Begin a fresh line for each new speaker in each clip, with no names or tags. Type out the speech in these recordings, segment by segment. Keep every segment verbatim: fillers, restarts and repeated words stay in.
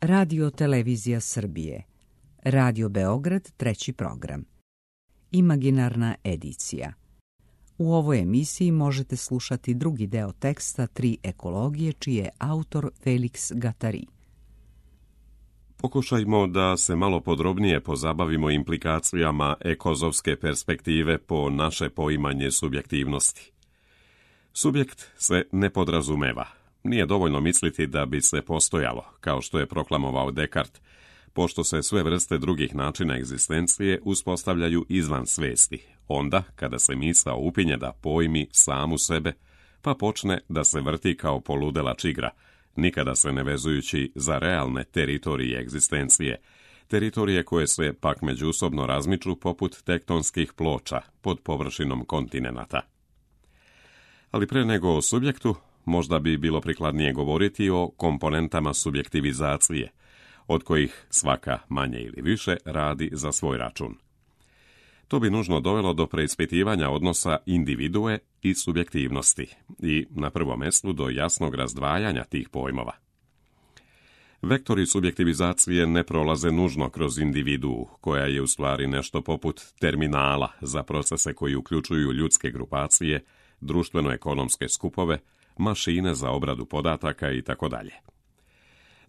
Radio Televizija Srbije, Radio Beograd, treći program. Imaginarna edicija. U ovoj emisiji možete slušati drugi deo teksta Tri ekologije, čiji je autor Felix Gattari.
Pokušajmo da se malo podrobnije pozabavimo implikacijama ekozovske perspektive po naše poimanje subjektivnosti. Subjekt se ne podrazumeva. Nije dovoljno misliti da bi se postojalo, kao što je proklamovao Descartes, pošto se sve vrste drugih načina egzistencije uspostavljaju izvan svesti, onda kada se misao upinje da pojmi samu sebe, pa počne da se vrti kao poludela čigra, nikada se ne vezujući za realne teritorije egzistencije, teritorije koje se pak međusobno razmiču poput tektonskih ploča pod površinom kontinenata. Ali pre nego o subjektu, možda bi bilo prikladnije govoriti o komponentama subjektivizacije, od kojih svaka manje ili više radi za svoj račun. To bi nužno dovelo do preispitivanja odnosa individue i subjektivnosti i, na prvom mjestu, do jasnog razdvajanja tih pojmova. Vektori subjektivizacije ne prolaze nužno kroz individuu, koja je u stvari nešto poput terminala za procese koji uključuju ljudske grupacije, društveno-ekonomske skupove, mašine za obradu podataka i tako dalje.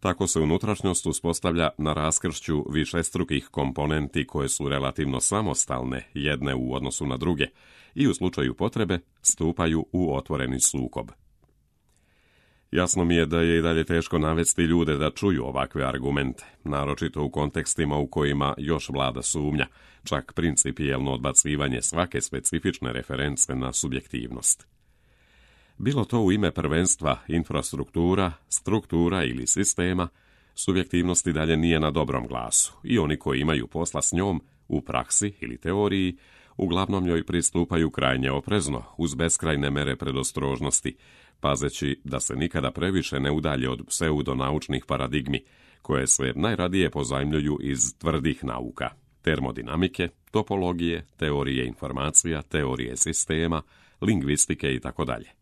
Tako se unutrašnjost uspostavlja na raskršću višestrukih komponenti koje su relativno samostalne jedne u odnosu na druge i u slučaju potrebe stupaju u otvoreni sukob. Jasno mi je da je i dalje teško navesti ljude da čuju ovakve argumente, naročito u kontekstima u kojima još vlada sumnja, čak principijelno odbacivanje svake specifične reference na subjektivnost. Bilo to u ime prvenstva, infrastruktura, struktura ili sistema, subjektivnost i dalje nije na dobrom glasu i oni koji imaju posla s njom u praksi ili teoriji, uglavnom njoj pristupaju krajnje oprezno, uz beskrajne mere predostrožnosti, pazeći da se nikada previše ne udalje od pseudonaučnih paradigmi, koje se najradije pozajmljuju iz tvrdih nauka, termodinamike, topologije, teorije informacija, teorije sistema, lingvistike i tako dalje.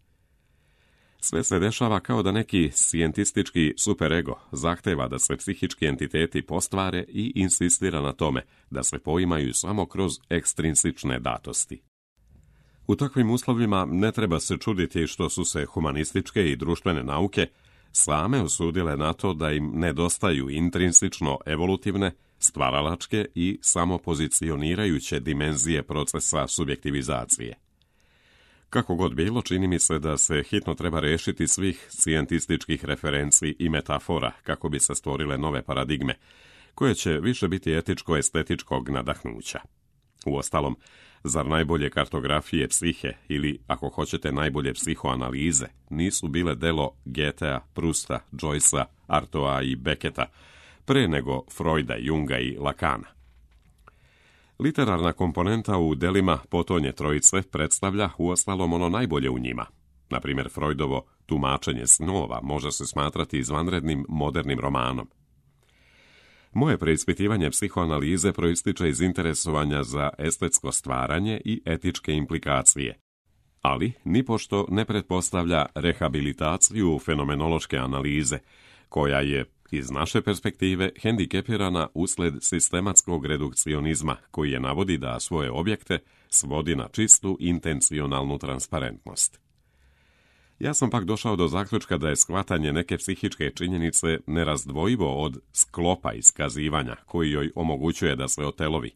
Sve se dešava kao da neki scijentistički superego zahteva da se psihički entiteti postvare i insistira na tome da se poimaju samo kroz ekstrinsične datosti. U takvim uslovima ne treba se čuditi što su se humanističke i društvene nauke same osudile na to da im nedostaju intrinsično evolutivne, stvaralačke i samopozicionirajuće dimenzije procesa subjektivizacije. Kako god bilo, čini mi se da se hitno treba rešiti svih scijentističkih referenci i metafora kako bi se stvorile nove paradigme, koje će više biti etičko-estetičkog nadahnuća. Uostalom, zar najbolje kartografije psihe ili, ako hoćete, najbolje psihoanalize nisu bile delo Goethea, Prusta, Joycea, Artoa i Becketa, pre nego Freuda, Junga i Lacana? Literarna komponenta u delima potonje trojice predstavlja uostalom ono najbolje u njima. Na primjer, Freudovo tumačenje snova može se smatrati izvanrednim modernim romanom. Moje preispitivanje psihoanalize proističe iz interesovanja za estetsko stvaranje i etičke implikacije, ali nipošto ne pretpostavlja rehabilitaciju fenomenološke analize, koja je iz naše perspektive hendikepirana usled sistematskog redukcionizma koji je navodi da svoje objekte svodi na čistu intencionalnu transparentnost. Ja sam pak došao do zaključka da je shvatanje neke psihičke činjenice nerazdvojivo od sklopa iskazivanja koji joj omogućuje da se otelovi,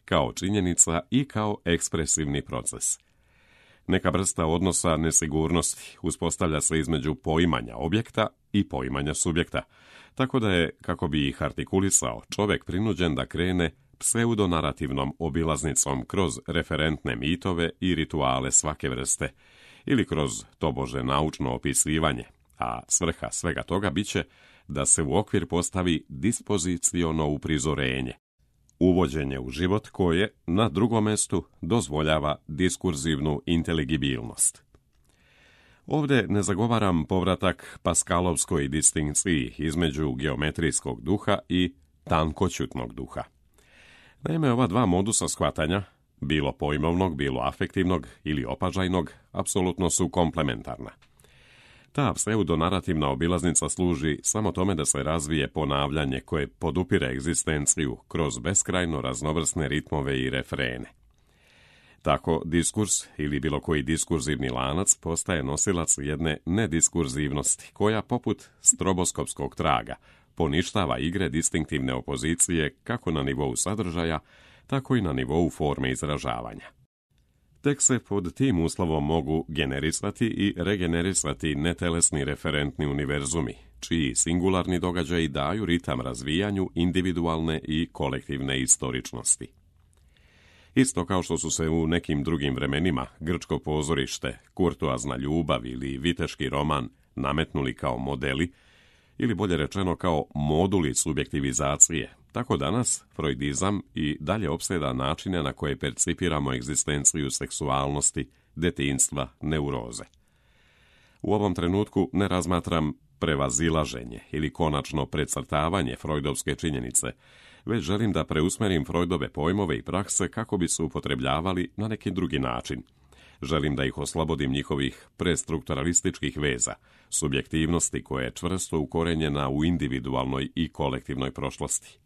kao činjenica i kao ekspresivni proces. Neka vrsta odnosa nesigurnosti uspostavlja se između poimanja objekta i poimanja subjekta, tako da je, kako bi ih artikulisao, čovjek prinuđen da krene pseudonarativnom obilaznicom kroz referentne mitove i rituale svake vrste, ili kroz tobože naučno opisivanje, a svrha svega toga biće da se u okvir postavi dispoziciono uprizorenje, uvođenje u život koje, na drugom mjestu, dozvoljava diskurzivnu inteligibilnost. Ovdje ne zagovaram povratak Paskalovskoj distinkciji između geometrijskog duha i tankoćutnog duha. Naime, ova dva modusa shvatanja, bilo pojmovnog, bilo afektivnog ili opažajnog, apsolutno su komplementarna. Ta pseudonarativna obilaznica služi samo tome da se razvije ponavljanje koje podupire egzistenciju kroz beskrajno raznovrsne ritmove i refrene. Tako diskurs ili bilo koji diskurzivni lanac postaje nosilac jedne nediskurzivnosti koja, poput stroboskopskog traga, poništava igre distinktivne opozicije kako na nivou sadržaja, tako i na nivou forme izražavanja. Tek se pod tim uslovom mogu generisati i regenerisati netelesni referentni univerzumi, čiji singularni događaji daju ritam razvijanju individualne i kolektivne istoričnosti. Isto kao što su se u nekim drugim vremenima grčko pozorište, kurtoazna ljubav ili viteški roman nametnuli kao modeli, ili bolje rečeno kao moduli subjektivizacije, tako danas freudizam i dalje opseda načine na koje percipiramo egzistenciju seksualnosti, detinjstva, neuroze. U ovom trenutku ne razmatram prevazilaženje ili konačno precrtavanje freudovske činjenice, već želim da preusmerim Freudove pojmove i prakse kako bi se upotrebljavali na neki drugi način. Želim da ih oslobodim njihovih prestrukturalističkih veza, subjektivnosti koja je čvrsto ukorenjena u individualnoj i kolektivnoj prošlosti.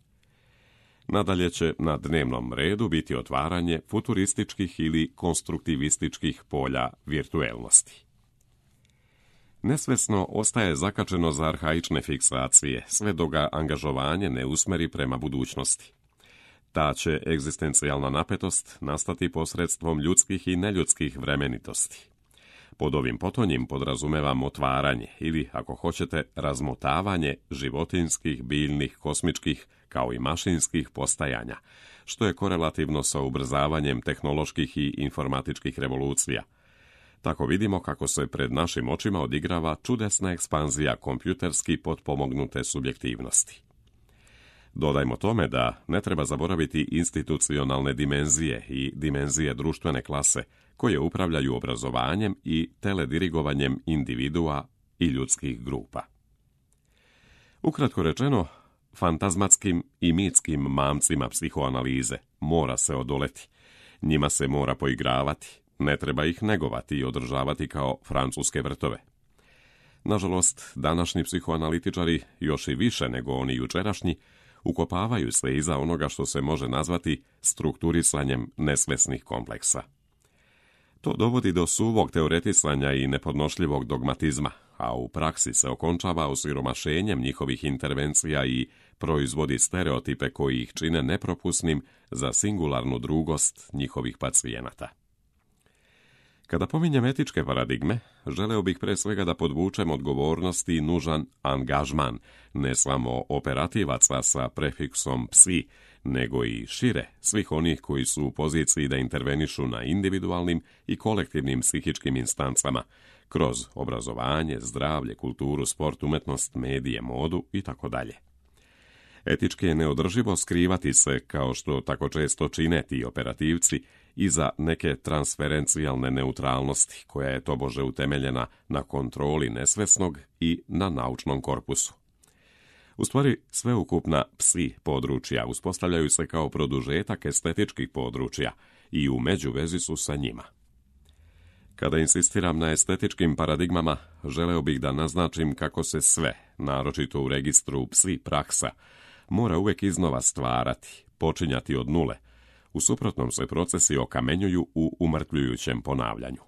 Nadalje će na dnevnom redu biti otvaranje futurističkih ili konstruktivističkih polja virtuelnosti. Nesvesno ostaje zakačeno za arhaične fiksacije, sve dok ga angažovanje ne usmeri prema budućnosti. Ta će egzistencijalna napetost nastati posredstvom ljudskih i neljudskih vremenitosti. Pod ovim potonjim podrazumevam otvaranje ili, ako hoćete, razmotavanje životinskih, biljnih, kosmičkih, kao i mašinskih postajanja, što je korelativno sa ubrzavanjem tehnoloških i informatičkih revolucija. Tako vidimo kako se pred našim očima odigrava čudesna ekspanzija kompjuterski potpomognute subjektivnosti. Dodajmo tome da ne treba zaboraviti institucionalne dimenzije i dimenzije društvene klase koje upravljaju obrazovanjem i teledirigovanjem individua i ljudskih grupa. Ukratko rečeno, fantazmatskim i mitskim mamcima psihoanalize mora se odoleti, njima se mora poigravati, ne treba ih negovati i održavati kao francuske vrtove. Nažalost, današnji psihoanalitičari, još i više nego oni jučerašnji, ukopavaju se iza onoga što se može nazvati strukturisanjem nesvesnih kompleksa. To dovodi do suvog teoretisanja i nepodnošljivog dogmatizma, a u praksi se okončava osiromašenjem njihovih intervencija i proizvodi stereotipe koji ih čine nepropusnim za singularnu drugost njihovih pacijenata. Kada pominjem etičke paradigme, želeo bih pre svega da podvučem odgovornosti i nužan angažman, ne samo operativaca sa prefiksom psi, nego i šire svih onih koji su u poziciji da intervenišu na individualnim i kolektivnim psihičkim instancama, kroz obrazovanje, zdravlje, kulturu, sport, umetnost, medije, modu itd. Etički je neodrživo skrivati se, kao što tako često čine ti operativci, iza neke transferencijalne neutralnosti, koja je tobože utemeljena na kontroli nesvesnog i na naučnom korpusu. U stvari, sveukupna psi područja uspostavljaju se kao produžetak estetičkih područja i u međuvezi su sa njima. Kada insistiram na estetičkim paradigmama, želeo bih da naznačim kako se sve, naročito u registru psi praksa, mora uvijek iznova stvarati, počinjati od nule. U suprotnom se procesi okamenjuju u umrtljujućem ponavljanju.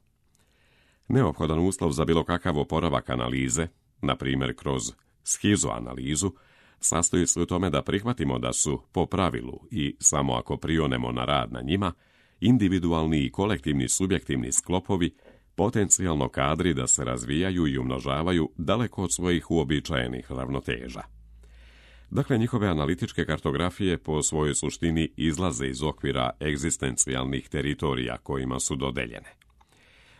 Neophodan uslov za bilo kakav oporavak analize, na primjer kroz schizoanalizu, sastoji se u tome da prihvatimo da su, po pravilu i samo ako prionemo na rad na njima, individualni i kolektivni subjektivni sklopovi potencijalno kadri da se razvijaju i umnožavaju daleko od svojih uobičajenih ravnoteža. Dakle, njihove analitičke kartografije po svojoj suštini izlaze iz okvira egzistencijalnih teritorija kojima su dodeljene.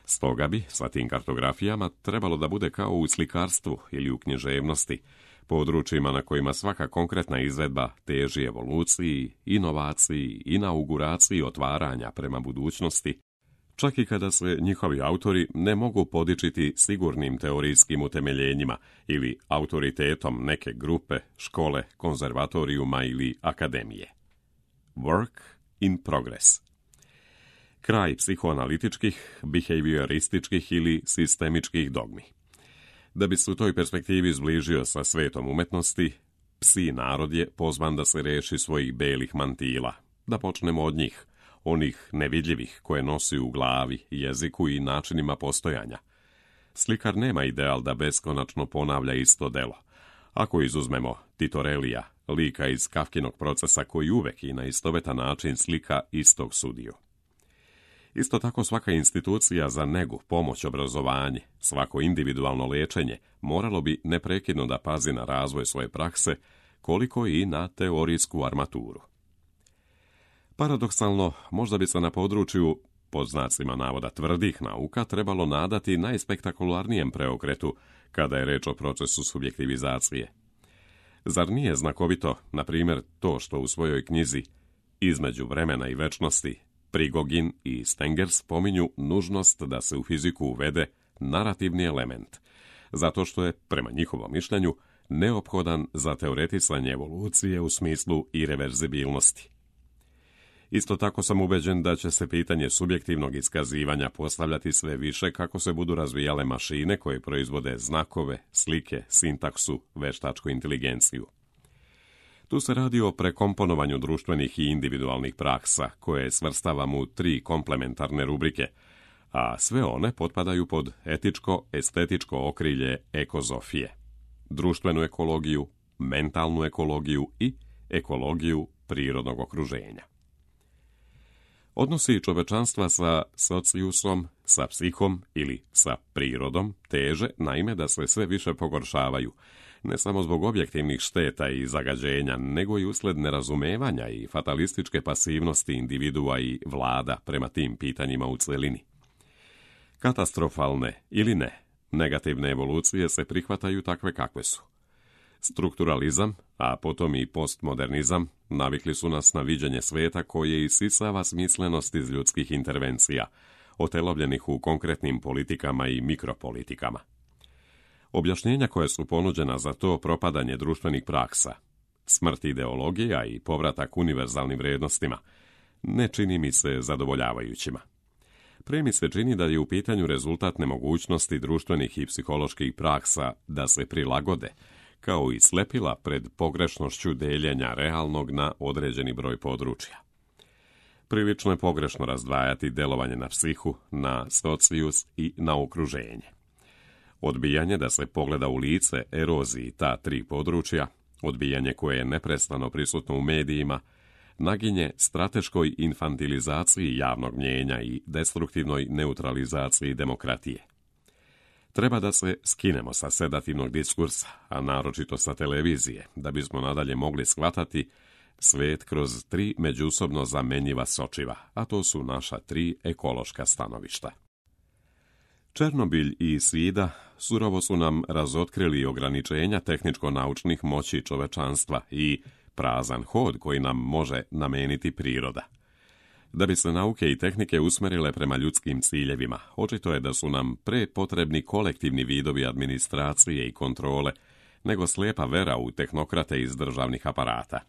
Stoga bi, sa tim kartografijama, trebalo da bude kao u slikarstvu ili u književnosti, područjima na kojima svaka konkretna izvedba teži evoluciji, inovaciji, inauguraciji otvaranja prema budućnosti, čak i kada se njihovi autori ne mogu podičiti sigurnim teorijskim utemeljenjima ili autoritetom neke grupe, škole, konzervatorijuma ili akademije. Work in progress. Kraj psihoanalitičkih, behaviorističkih ili sistemičkih dogmi. Da bi se u toj perspektivi zbližio sa svetom umetnosti, psi narod je pozvan da se reši svojih belih mantila. Da počnemo od njih, onih nevidljivih koje nosi u glavi, jeziku i načinima postojanja. Slikar nema ideal da beskonačno ponavlja isto delo. Ako izuzmemo Titorelija, lika iz Kafkinog procesa koji uvek i na istovetan način slika istog sudiju. Isto tako svaka institucija za negu, pomoć, obrazovanje, svako individualno lečenje moralo bi neprekidno da pazi na razvoj svoje prakse, koliko i na teorijsku armaturu. Paradoksalno, možda bi se na području, pod znacima navoda tvrdih nauka, trebalo nadati najspektakularnijem preokretu kada je reč o procesu subjektivizacije. Zar nije znakovito, na primjer, to što u svojoj knjizi Između vremena i večnosti Prigogin i Stenger spominju nužnost da se u fiziku uvede narativni element, zato što je, prema njihovom mišljenju, neophodan za teoretisanje evolucije u smislu ireverzibilnosti. Isto tako sam ubeđen da će se pitanje subjektivnog iskazivanja postavljati sve više kako se budu razvijale mašine koje proizvode znakove, slike, sintaksu, veštačku inteligenciju. Tu se radi o prekomponovanju društvenih i individualnih praksa, koje svrstavamo u tri komplementarne rubrike, a sve one potpadaju pod etičko-estetičko okrilje ekozofije, društvenu ekologiju, mentalnu ekologiju i ekologiju prirodnog okruženja. Odnosi čovečanstva sa sociusom, sa psihom ili sa prirodom teže, naime, da se sve više pogoršavaju, ne samo zbog objektivnih šteta i zagađenja, nego i usled nerazumevanja i fatalističke pasivnosti individua i vlada prema tim pitanjima u celini. Katastrofalne ili ne, negativne evolucije se prihvataju takve kakve su. Strukturalizam, a potom i postmodernizam, navikli su nas na viđenje sveta koje isisava smislenost iz ljudskih intervencija, otelovljenih u konkretnim politikama i mikropolitikama. Objašnjenja koje su ponuđena za to propadanje društvenih praksa, smrt ideologija i povratak univerzalnim vrijednostima, ne čini mi se zadovoljavajućima. Pre mi se čini da je u pitanju rezultat nemogućnosti društvenih i psiholoških praksa da se prilagode, kao i slepila pred pogrešnošću deljenja realnog na određeni broj područja. Prilično je pogrešno razdvajati delovanje na psihu, na socius i na okruženje. Odbijanje da se pogleda u lice eroziji ta tri područja, odbijanje koje je neprestano prisutno u medijima, naginje strateškoj infantilizaciji javnog mnjenja i destruktivnoj neutralizaciji demokratije. Treba da se skinemo sa sedativnog diskursa, a naročito sa televizije, da bismo nadalje mogli shvatati svet kroz tri međusobno zamenjiva sočiva, a to su naša tri ekološka stanovišta. Černobilj i Svida surovo su nam razotkrili ograničenja tehničko-naučnih moći čovečanstva i prazan hod koji nam može nameniti priroda. Da bi se nauke i tehnike usmerile prema ljudskim ciljevima, očito je da su nam pre potrebni kolektivni vidovi administracije i kontrole, nego slijepa vera u tehnokrate iz državnih aparata.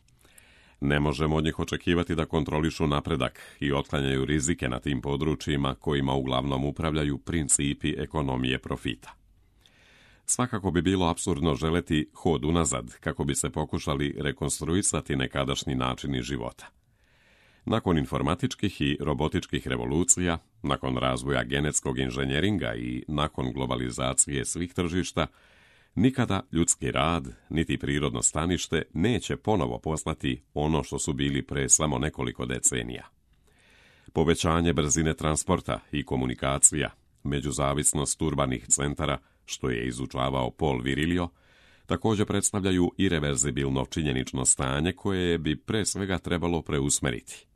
Ne možemo od njih očekivati da kontrolišu napredak i otklanjaju rizike na tim područjima kojima uglavnom upravljaju principi ekonomije profita. Svakako bi bilo apsurdno želeti hod unazad kako bi se pokušali rekonstruisati nekadašnji načini života. Nakon informatičkih i robotičkih revolucija, nakon razvoja genetskog inženjeringa i nakon globalizacije svih tržišta, nikada ljudski rad, niti prirodno stanište neće ponovo poslati ono što su bili pre samo nekoliko decenija. Povećanje brzine transporta i komunikacija, međuzavisnost urbanih centara, što je izučavao Paul Virilio, također predstavljaju ireverzibilno činjenično stanje koje bi pre svega trebalo preusmeriti.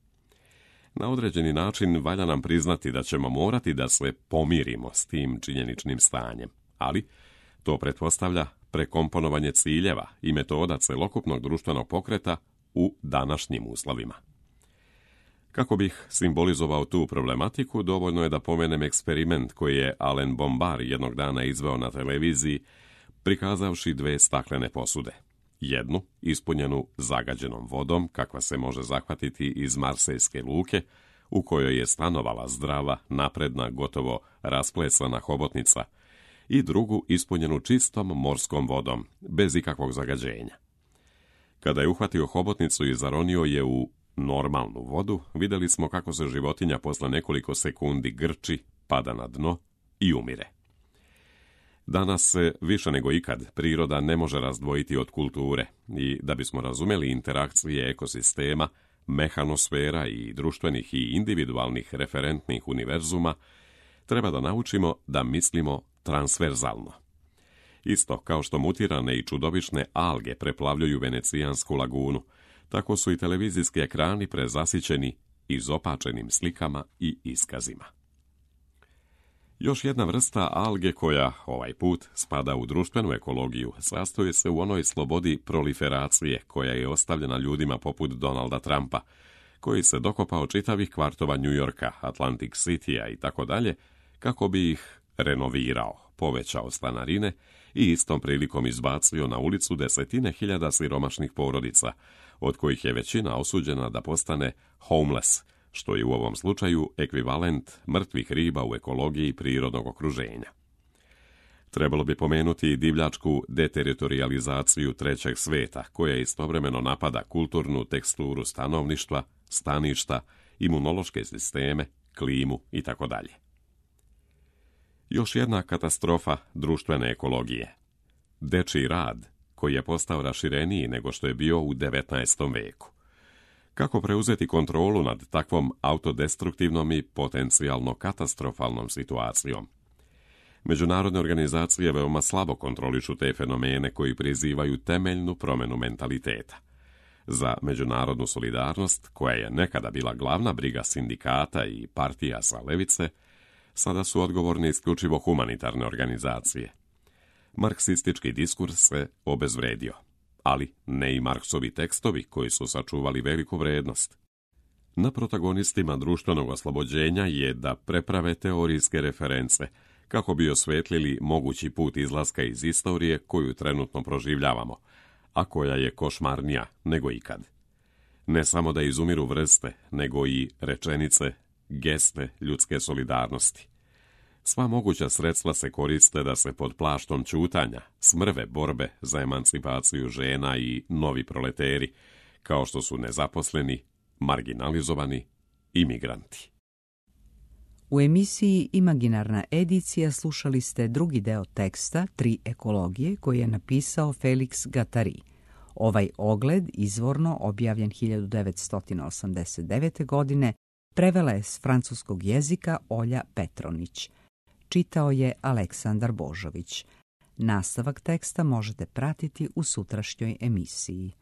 Na određeni način valja nam priznati da ćemo morati da se pomirimo s tim činjeničnim stanjem, ali to pretpostavlja prekomponovanje ciljeva i metoda celokupnog društvenog pokreta u današnjim uslovima. Kako bih simbolizovao tu problematiku, dovoljno je da pomenem eksperiment koji je Alain Bombard jednog dana izveo na televiziji, prikazavši dve staklene posude. Jednu, ispunjenu zagađenom vodom, kakva se može zahvatiti iz marsejske luke, u kojoj je stanovala zdrava, napredna, gotovo rasplesana hobotnica, i drugu ispunjenu čistom morskom vodom, bez ikakvog zagađenja. Kada je uhvatio hobotnicu i zaronio je u normalnu vodu, vidjeli smo kako se životinja posle nekoliko sekundi grči, pada na dno i umire. Danas se više nego ikad priroda ne može razdvojiti od kulture i da bismo razumjeli interakcije ekosistema, mehanosfera i društvenih i individualnih referentnih univerzuma, treba da naučimo da mislimo transverzalno. Isto kao što mutirane i čudovišne alge preplavljuju Venecijansku lagunu, tako su i televizijski ekrani prezasićeni izopačenim slikama i iskazima. Još jedna vrsta alge koja, ovaj put, spada u društvenu ekologiju, sastoji se u onoj slobodi proliferacije koja je ostavljena ljudima poput Donalda Trumpa, koji se dokopao čitavih kvartova New Yorka, Atlantic Citya i tako dalje, kako bi ih renovirao, povećao stanarine i istom prilikom izbacio na ulicu desetine hiljada siromašnih porodica, od kojih je većina osuđena da postane homeless, što je u ovom slučaju ekvivalent mrtvih riba u ekologiji prirodnog okruženja. Trebalo bi pomenuti i divljačku deteritorijalizaciju trećeg sveta, koja istovremeno napada kulturnu teksturu stanovništva, staništa, imunološke sisteme, klimu itd. Još jedna katastrofa društvene ekologije. Dečiji rad, koji je postao rašireniji nego što je bio u devetnaestom veku. Kako preuzeti kontrolu nad takvom autodestruktivnom i potencijalno katastrofalnom situacijom? Međunarodne organizacije veoma slabo kontrolišu te fenomene koji prizivaju temeljnu promjenu mentaliteta. Za međunarodnu solidarnost, koja je nekada bila glavna briga sindikata i partija sa levice, sada su odgovorne isključivo humanitarne organizacije. Marksistički diskurs se obezvredio, ali ne i Marksovi tekstovi koji su sačuvali veliku vrednost. Na protagonistima društvenog oslobođenja je da preprave teorijske reference kako bi osvetlili mogući put izlaska iz istorije koju trenutno proživljavamo, a koja je košmarnija nego ikad. Ne samo da izumiru vrste, nego i rečenice, geste ljudske solidarnosti. Sva moguća sredstva se koriste da se pod plaštom ćutanja smrve borbe za emancipaciju žena i novi proleteri, kao što su nezaposleni, marginalizovani i migranti.
U emisiji Imaginarna edicija slušali ste drugi deo teksta Tri ekologije koji je napisao Felix Guattari. Ovaj ogled, izvorno objavljen hiljadu devetsto osamdeset devete. godine, prevela je s francuskog jezika Olja Petronić. Čitao je Aleksandar Božović. Nastavak teksta možete pratiti u sutrašnjoj emisiji.